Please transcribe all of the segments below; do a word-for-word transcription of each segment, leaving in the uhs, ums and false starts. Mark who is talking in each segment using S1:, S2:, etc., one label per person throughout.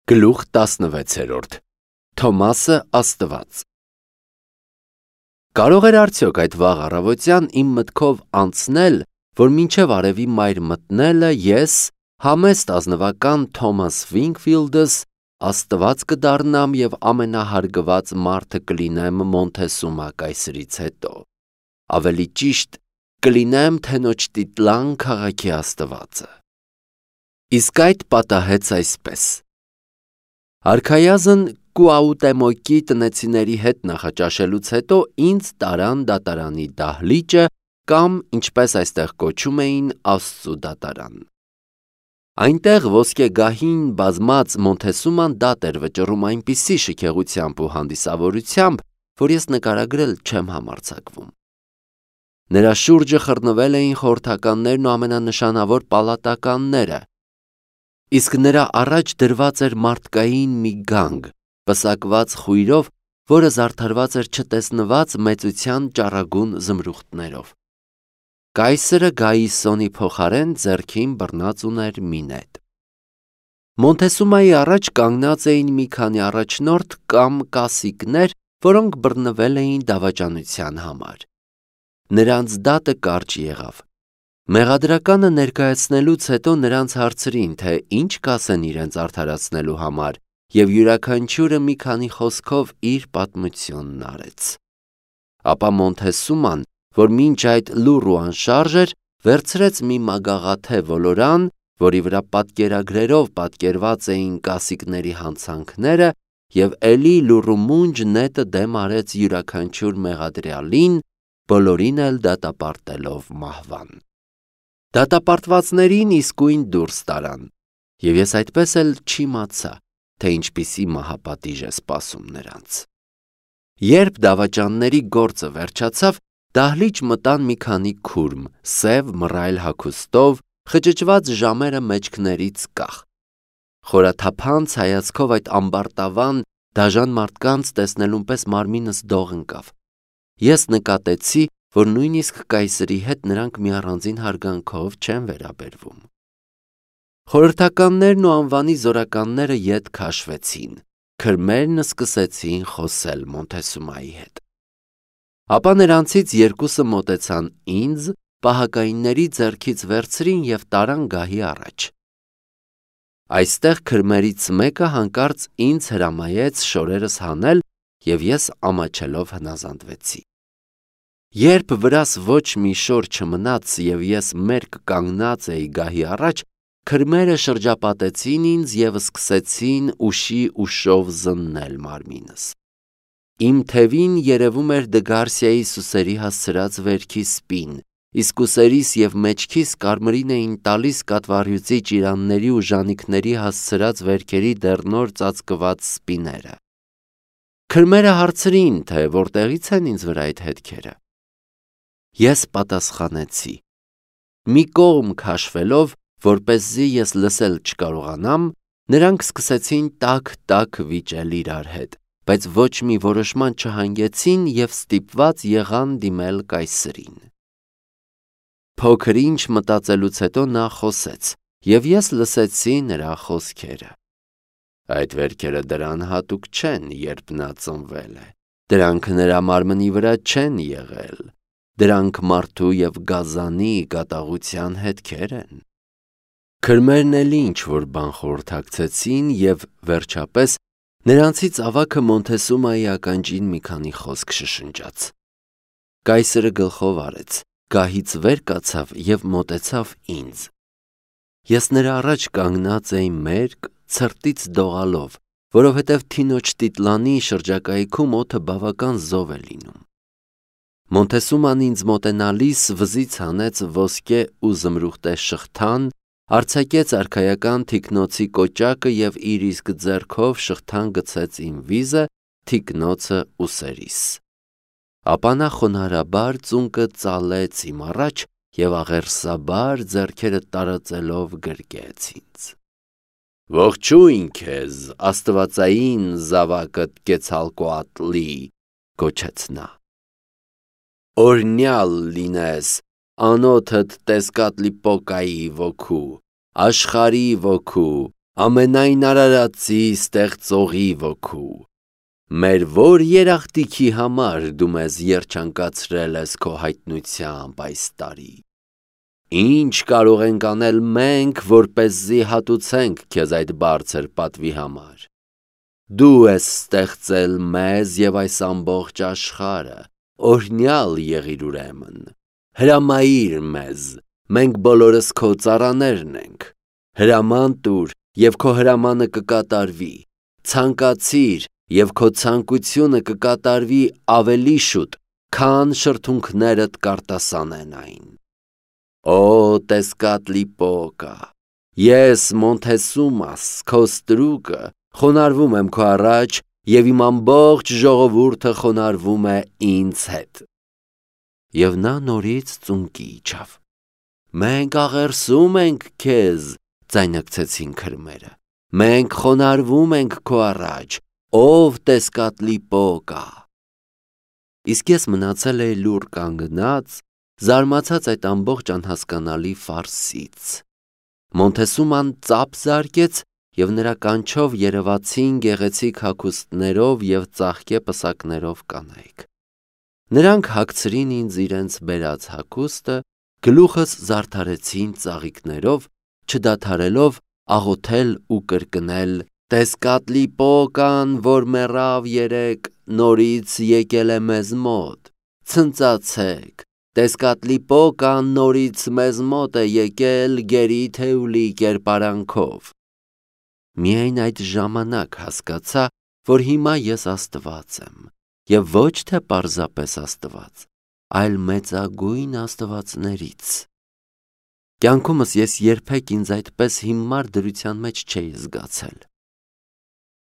S1: Գլուխ տասնվեցերորդ Թոմասը Աստված Կարող էր արդյոք այդ վաղ առավոտյան իմ մտքով անցնել, որ մինչև արևի մայր մտնելը ես, համեստ ազնվական Թոմաս Վինքֆիլդս, Աստված կդառնամ և ամենահարգված մարդը կլինեմ Մոնթեսումա կայսրից հետո, ավելի ճիշտ կլինեմ Թենոչտիտլան քաղաքի Աստվածը։ Իսկ այդ պատահեց այսպես. Արքայազն Կուաուտեմոկի տնեցիների հետ նախաճաշելուց հետո ինձ տարան դատարանի դահլիճը կամ, ինչպես այստեղ կոչում էին, Աստծու դատարան։ Այնտեղ ոսկեգահին բազմած Մոնթեսուման դատ էր վճռում այնպիսի շքեղությամբ ու հանդիսավորությամբ, որ ես նկարագրել չեմ համարձակվում։ Նրա շուրջը խռնվել էին խորհրդականներն ու ամենանշանավոր պալատականները, իսկ նրա առաջ դրված էր մարդկային մի գանգ, պսակված խույրով, որը զարդարված էր չտեսնված մեծության ճառագուն զմրուխտներով։ Կայսրը Գայիսոնի փոխարեն ձեռքին բռնած ուներ մի նետ։ Մոնթեսումայի առաջ կանգնած էին մի քանի առաջնորդ կամ կասիկներ, որոնք բռնվել էին դավաճանության համար։ Նրանց դատը կարճ եղավ։ Մեղադրականը ներկայացնելուց հետո նրանց հարցրին, թե ինչ կասեն իրենց արդարացնելու համար, և յուրաքանչյուրը մի քանի խոսքով իր պատմությունն արեց։ Ապա Մոնթեսուման, որ մինչ այդ լուռ ու անշարժ էր, վերցրեց մի մագաղաթե ոլորան, որի վրա պատկերագրերով պատկերված էին կասիկների հանցանքները, և էլի լուռ ու մունջ նետը դեմ արեց յուրաքանչյուր մեղադրյալին, բոլորին էլ դատապարտելով մահվան։ Դատապարտվածներին իսկույն դուրս տարան, և ես այդպես էլ չիմացա, թե ինչպիսի մահապատիժ է սպասում նրանց։ Երբ դավաճանների գործը վերջացավ, դահլիճ մտան մի քանի քուրմ, սև մռայլ հագուստով, խճճված ժամերը մեջքներից կախ։ Խորաթափանց հայացքով այդ ամբարտավան, դաժան մարդկանց տեսնելուն պես մարմինս դող ընկավ։ Ես նկատեցի, որ նույնիսկ կայսրի հետ նրանք մի առանձին հարգանքով չեն վերաբերվում։ Խորհրդականներն ու անվանի զորականները ետ քաշվեցին, քրմերն սկսեցին խոսել Մոնթեսումայի հետ։ Ապա նրանցից երկուսը մոտեցան ինձ, պահակայինների ձեռքից վերցրին և տարան գահի առաջ։ Այստեղ քրմերից մեկը հանկարծ ինձ հրամայեց շորերս հանել, և ես ամաչելով հնազանդվեցի։ Երբ վրաս ոչ մի շոր չմնաց և ես մերկ կանգնած էի գահի առաջ, քրմերը շրջապատեցին ինձ և սկսեցին ուշի ուշով զննել մարմինս։ Իմ թևին երևում էր Դգարսիայի սուսերի հասցրած վերքի սպին, իսկ ուսերիս և մեջքիս կարմրին էին տալիս կատվառյուծի ճիրանների ու ժանիքների հասցրած վերքերի դեռնոր ծածկված սպիները։ Քրմերը հարցրին, թե որտեղից են ինձ վրա այդ հետքերը։ Ես պատասխանեցի։ Մի կողմ քաշվելով, որպեսզի ես լսել չկարողանամ, նրանք սկսեցին տաք-տաք վիճել իրար հետ, բայց ոչ մի որոշման չհանգեցին և ստիպված եղան դիմել կայսրին։ Փոքր ինչ մտածելուց հետո նա խոսեց, և ես լսեցի նրա խոսքերը։ Այդ վերքերը դրան հատուկ չեն, երբ նա ծնվել է, դրանք նրա մարմնի վրա չեն եղել, դրանք մարդու և գազանի կատաղության հետքեր են։ Քրմերն էլ ինչ-որ բան խորհրդակցեցին և, վերջապես, նրանցից ավագը Մոնթեսումայի ականջին մի քանի խոսք շշնջաց։ Կայսրը գլխով արեց, գահից վեր կացավ և մոտեցավ ինձ։ Ես նրա առաջ կանգնած էի մերկ, ցրտից դողալով, որովհետև Թինոչտիտլանի շրջակայքում օդը բավական զով է լինում։ Մոնթեսուման ինձ մոտենալիս վզից հանեց ոսկե ու զմրուխտե շղթան, արձակեց արքայական թիկնոցի կոճակը և իր իսկ ձեռքով շղթան գցեց իմ վիզը, թիկնոցը ուսերիս։ Ապա նա խոնարհաբար ծունկը ծալեց իմ առաջ և աղերսաբար ձեռքերը տարածելով գրկեց ինձ։ Ողջույն քեզ, աստվածային զավակդ Կեցալկոատլի, գոչեց նա։ Օրհնյալ լինես, անոթդ Տեսկատլիպոկայի ոգու, աշխարհի ոգու, ամենայն արարածի ստեղծողի ոգու, մեր որ երախտիքի համար դու մեզ երջանկացրել ես քո հայտնությամբ այս տարի, ինչ կարող ենք անել մենք, որպեսզի հատուցենք քեզ այդ բարձր պատվի համար, դու ես ստեղծել մեզ և այս ամբողջ աշխարհը, օրհնյալ եղիր ուրեմն, հրամայիր մեզ, մենք բոլորս քո ծառաներն ենք, հրաման տուր և քո հրամանը կկատարվի, ցանկացիր և քո ցանկությունը կկատարվի ավելի շուտ, քան շրթունքներդ կարտասանեն այն։ Օ Տեսկատլիպոկա, ես Մոնթեսումաս, քո ստրուկը, խոնարհվում եմ քո առաջ և իմ ամբողջ ժողովուրդը խոնարհվում է ինձ հետ։ Եվ նա նորից ծունկի իջավ։ Մենք աղերսում ենք քեզ, ձայնարկեցին քրմերը, մենք խոնարհվում ենք քո առաջ, ով Տեսկատլիպոկա։ Իսկ ես մնացել էի լուռ կանգնած, զարմացած այդ ամբողջ անհասկանալի ֆարսից։ Մոնթեսուման ծափ զարկեց և նրա կանչով երևացին գեղեցիկ հագուստներով և ծաղկե պսակներով կանայք։ Նրանք հագցրին ինձ իրենց բերած հագուստը, գլուխս զարդարեցին ծաղիկներով, չդադարելով աղոթել ու կրկնել. Տեսկատլիպոկան, որ մեռավ երեկ, նորից եկել է մեզ մոտ, ցնծացեք, Տեսկատլիպոկան նորից մեզ մոտ է եկել գերի Թեուլի կերպարանքով։ Միայն այդ ժամանակ հասկացա, որ հիմա ես Աստված եմ, և ոչ թե պարզապես Աստված, այլ մեծագույն աստվածներից։ Կյանքումս ես երբեք ինձ այդպես հիմար դրության մեջ չէի զգացել։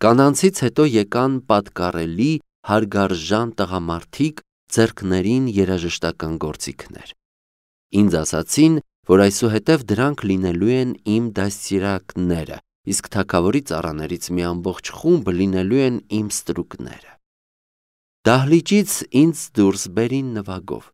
S1: Կանանցից հետո եկան պատկառելի, հարգարժան տղամարդիկ, ձեռքներին երաժշտական գործիքներ։ Ինձ ասացին, որ այսուհետև դրանք լինելու են իմ դաստիարակները, իսկ թագավորի ծառաներից մի ամբողջ խումբ լինելու են իմ ստրուկները։ Դահլիճից ինձ դուրս բերին նվագով։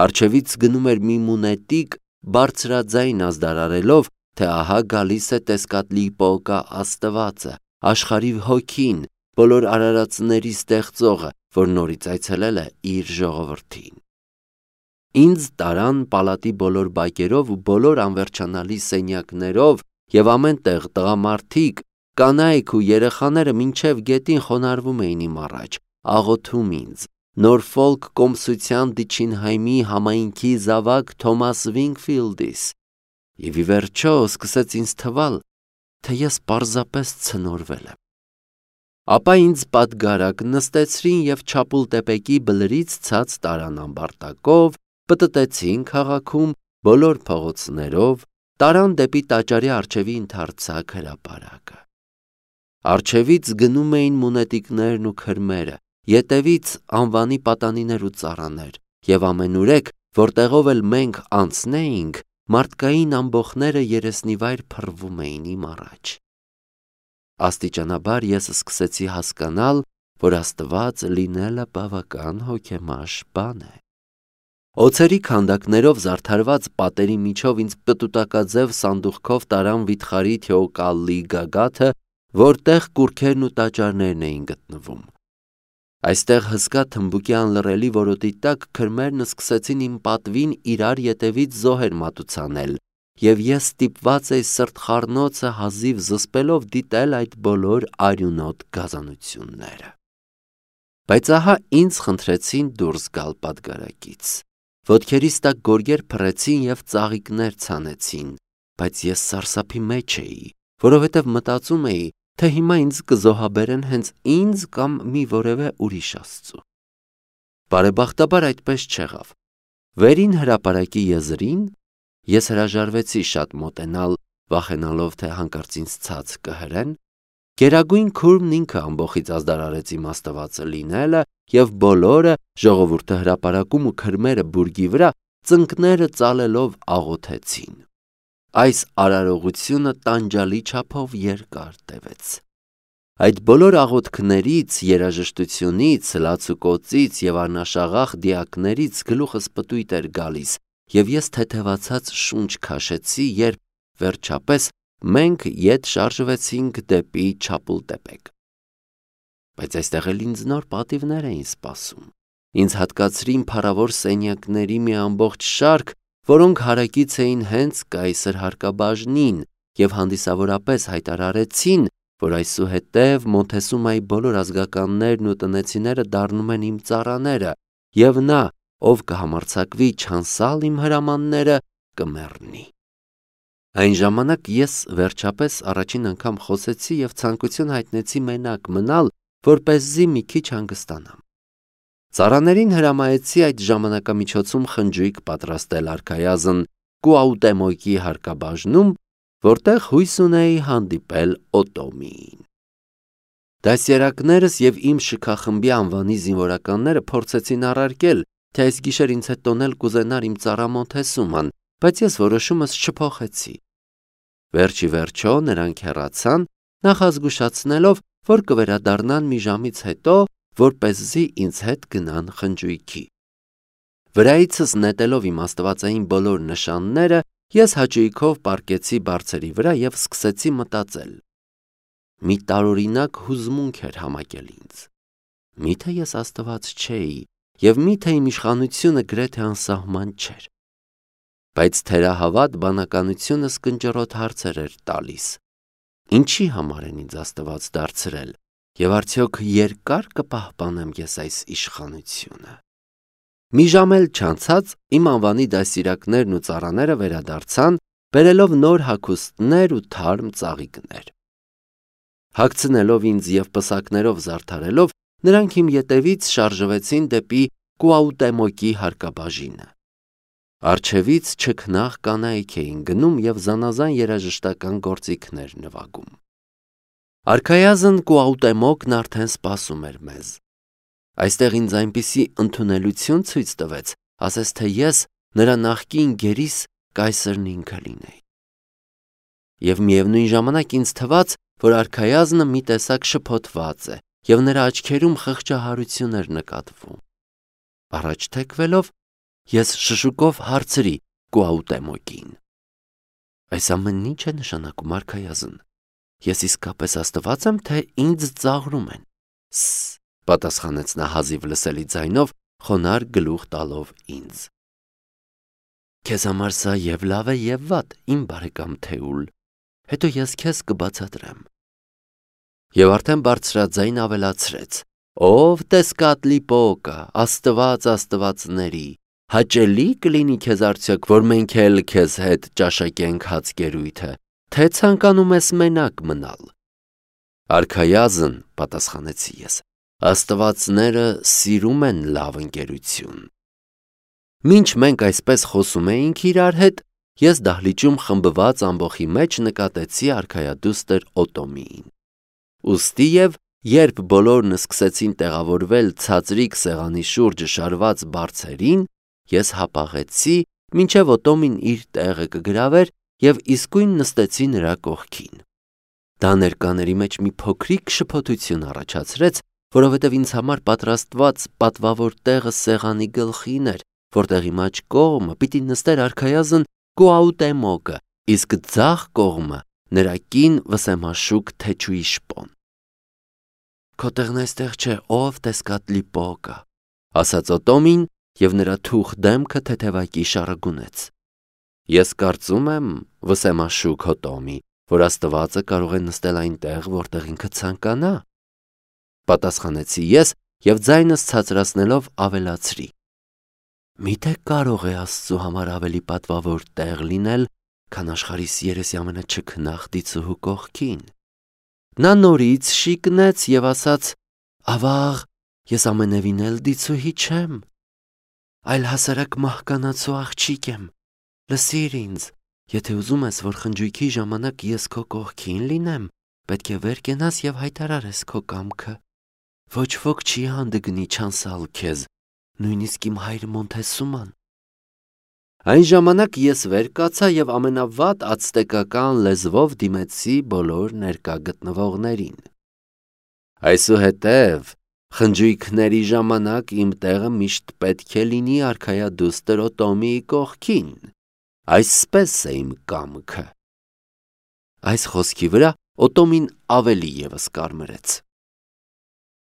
S1: Առջևից գնում էր մի մունետիկ, բարձրաձայն ազդարարելով, թե ահա գալիս է Տեսկատլիպոկա Աստվածը, աշխարհի հոգին, բոլոր արարածների ստեղծողը, որ նորից այցելել է իր ժողովրդին։ Ինձ տարան պալատի բոլոր բակերով ու բոլոր անվերջանալի սենյակներով և ամենտեղ տղամարդիկ, կանայք ու երեխաները մինչև գետին խոնարհվում էին իմ առաջ, աղոթում ինձ, Նորֆոլք կոմսության Դիչինհայմի համայնքի զավակ Թոմաս Վինգֆիլդիս, և ի վերջո սկսեց ինձ թվալ, թե ես պարզապես ցնորվել եմ։ Ապա ինձ պատգարակ նստեցրին և Չապուլտեպեկի բլրից ցած տարան ամբարտակով, պտտեցին քաղաքում բոլոր փողոցներով, տարան դեպի տաճարի առջևի ընդարձակ հրապարակը։ Առջևից գնում էին մունետիկներն ու քրմերը, ետևից անվանի պատանիներ ու ծառաներ, և ամենուրեք, որտեղով էլ մենք անցնեինք, մարդկային ամբոխները երեսնիվայր փռվում էին իմ առաջ։ Աստիճանաբար ես սկսեցի հասկանալ, որ Աստված լինելը բավական հոգեմաշ բան է։ Օձերի քանդակներով զարդարված պատերի միջով ինձ պտուտակաձև սանդուղքով տարան վիթխարի Թեոկալլի գագաթը, որտեղ կուռքերն ու տաճարներն էին գտնվում։ Այստեղ հսկա թմբուկի անլռելի որոտի տակ քրմերն սկսեցին իմ պատվին իրար ետևից զոհեր մատուցանել, և ես ստիպված էի սրտխառնոցը հազիվ զսպելով դիտել այդ բոլոր արյունոտ գազանությունները։ Բայց ահա ինձ խնդրեցին դուրս գալ պատգարակից։ Ոտքերիս տակ գորգեր փռեցին և ծաղիկներ ցանեցին, բայց ես սարսափի մեջ էի, որովհետև մտածում էի, թե հիմա ինձ կզոհաբերեն հենց ինձ կամ մի որևէ ուրիշ աստծու։ Բարեբախտաբար այդպես չեղավ։ Վերին հրապարակի եզրին ես հրաժարվեցի շատ մոտենալ, վախենալով, թե հանկարծ ինձ ցած կհրեն։ Գերագույն քուրմն ինքը ամբոխից ազդարարեց իմ Աստվածը լինելը, և բոլորը, ժողովուրդը հրապարակում ու քրմերը բուրգի վրա, ծնկները ծալելով աղոթեցին։ Այս արարողությունը տանջալի չափով երկար տևեց։ Այդ բոլոր աղոթքներից, երաժշտությունից, լացուկոծից և անաշաղախ դիակներից գլուխս պտույտ էր գալիս, և ես թեթևացած շունչ քաշեցի, երբ վերջապես մենք ետ շարժվեցինք դեպի Չապուլտեպեկ։ Բայց այստեղ էլ ինձ նոր պատիվներ էին սպասում։ Ինձ հատկացրին փառավոր սենյակների մի ամբողջ շարք, որոնք հարակից էին հենց կայսր հարկաբաժնին և հանդիսավորապես հայտարարեցին, որ այսուհետև Մոնթեսումայի բոլոր ազգականներն ու տնեցիները դառնում են իմ ծառաները, և նա, ով կհամարձակվի չանցալ իմ հրամանները, կմեռնի։ Այն ժամանակ ես վերջապես առաջին անգամ խոսեցի և ցանկություն հայտնեցի մենակ մնալ, որպեսզի մի քիչ հանգստանամ։ Ծառաներին հրամայեցի այդ ժամանակամիջոցում խնջույք պատրաստել արքայազն Կուաուտեմոկի հարկաբաժնում, որտեղ հույս ունեի հանդիպել Օտոմիին։ Դասերակներս և իմ շքախմբի անվանի զինվորականները փորձեցին առարկել, թե այս գիշեր ինձ հետ տոնել կուզենար իմ ծառա Մոնթեսուման, բայց ես որոշումս չփոխեցի։ Վերջի վերջո նրանք հեռացան, նախազգուշացնելով, որ կվերադառնան մի ժամից հետո, որպեսզի ինձ հետ գնան խնջույքի։ Վրայիցս նետելով իմ աստվածային բոլոր նշանները, ես հաճույքով պառկեցի բարձերի վրա և սկսեցի մտածել։ Մի տարօրինակ հուզմունք էր համակել ինձ։ Միթե ես աստված չէի, և միթե իմ իշխանությունը գրեթե անսահման չէր։ Բայց թերահավատ բանականությունս կնճռոտ հարցեր էր տալիս. ինչի համար են ինձ աստված դարձրել, և արդյոք երկա՞ր կպահպանեմ ես այս իշխանությունը։ Մի ժամ էլ չանցած իմ անվանի դաստիարակներն ու ծառաները վերադարձան, բերելով նոր հագուստներ ու թարմ ծաղիկներ։ Հագցնելով ինձ և պսակներով զարդարելով, նրանք իմ ետևից շարժվեցին դեպի Կուաուտեմոկի հարկաբաժինը։ Առջևից չքնաղ կանայք էին գնում և զանազան երաժշտական գործիքներ նվագում։ Արքայազն Կուաուտեմոկն արդեն սպասում էր մեզ։ Այստեղ ինձ այնպիսի ընդունելություն ցույց տվեց, ասես թե ես նրա նախկին գերիս կայսրն ինքը լինեի։ Եվ միևնույն ժամանակ ինձ թվաց, որ արքայազնը մի տեսակ շփոթված է, և նրա աչքերում խղճահարություն էր նկատվում։ Առաջ թեքվելով, ես շշուկով հարցրի Կուաուտեմոկին. այս ամենն ի՞նչ է նշանակում, արքայազն։ Ես իսկապես աստված եմ, թե ինձ ծաղրում են։ Ս-ս, պատասխանեց նա հազիվ լսելի ձայնով, խոնարհ գլուխ տալով ինձ։ Քեզ համար սա և լավ է, և վատ, իմ բարեկամ Թեուլ, հետո ես քեզ կբացատրեմ։ Եվ արդեն բարձրաձայն ավելացրեց. ով Տեսկատլիպոկը, աստված աստվածների, հաճելի կլինի քեզ արդյոք, որ մենք էլ քեզ հետ ճաշակենք հացկերույթը, թե ցանկանում ես մենակ մնալ։ Արքայազն, պատասխանեցի ես, աստվածները սիրում են լավ ընկերություն։ Մինչ մենք այսպես խոսում էինք իրար հետ, ես դահլիճում խմբված ամբոխի մեջ նկատեցի արքայադուստր Օտոմիին։ Ուստի և երբ բոլորն սկսեցին տեղավորվել ցածրիկ սեղանի շուրջը շարված բարձերին, ես հապաղեցի, մինչև Օտոմին իր տեղը կգրավեր և իսկույն նստեցի նրա կողքին։ Դա ներկաների մեջ մի փոքրիկ շփոթություն առաջացրեց, որովհետև ինձ համար պատրաստված պատվավոր տեղը սեղանի գլխին էր, որտեղ իմ աջ կողմը պիտի նստեր արքայազն Կուաուտեմոկը, իսկ ձախ կողմը նրա կին վսեմաշուք թեչուի շպոն։ Քո տեղն այստեղ չէ, ով Տեսկատլիպոկը, ասաց Օտոմին, և նրա թուխ դեմքը թեթևակի շարագունեց։ Ես կարծում եմ, վսեմաշուք Օտոմի, որ աստվածը կարող է նստել այնտեղ, որտեղ ինքը ցանկանա, պատասխանեցի ես և ձայնս ցածրացնելով ավելացրի. միթե կարող է Աստծու համար ավելի պատվավոր տեղ լինել, քան աշխարհիս երեսի ամենաչքնաղ դիցուհու կողքին։ Նա նորից շիկնեց և ասաց. ավաղ, ես ամենևին էլ դիցուհի չեմ, այլ հասարակ մահկանացու աղջիկ եմ, լսիր ինձ, եթե ուզում ես, որ խնջույքի ժամանակ ես քո կողքին լինեմ, պետք է վեր կենաս և հայտարարես քո կամքը։ Ոչ ոք չի հանդգնի չանցալ քեզ, նույնիսկ իմ հայրը Մոնթեսուման։ Այն ժամանակ ես վեր կացա և ամենավատ ացտեկական լեզվով դիմեցի բոլոր ներկա գտնվողներին։ Այսուհետև խնջույքների ժամանակ իմ տեղը միշտ պետք է լինի արքայադուստր Օտոմիի կողքին, այսպես է իմ կամքը։ Այս խոսքի վրա Օտոմին ավելի ևս կարմրեց։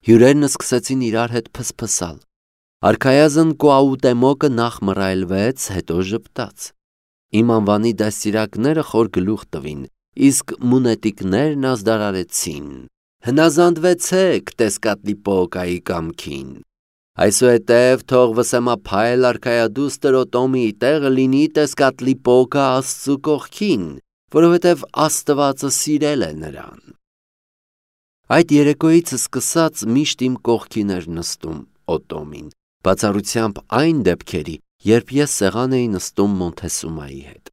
S1: Հյուրերն սկսեցին իրար հետ փսփսալ։ Արքայազն Կուաուտեմոկը նախ մռայլվեց, հետո ժպտաց։ Իմ անվանի դաստիարակները խոր գլուխ տվին, իսկ մունետիկներն ազդարարեցին. «Հնազանդվեցեք Տեսկատլիպոկայի կամքին։ Այսուհետև թող վսեմափայլ արքայադուստր Օտոմի տեղը լինի Տեսկատլիպոկա Աստծու կողքին, որովհետև Աստվածը սիրել է նրան»։ Այդ երեկոյից սկսած միշտ իմ կողքին էր նստում Օտոմին, բացառությամբ այն դեպքերի, երբ ես սեղան էի նստում Մոնթեսումայի հետ։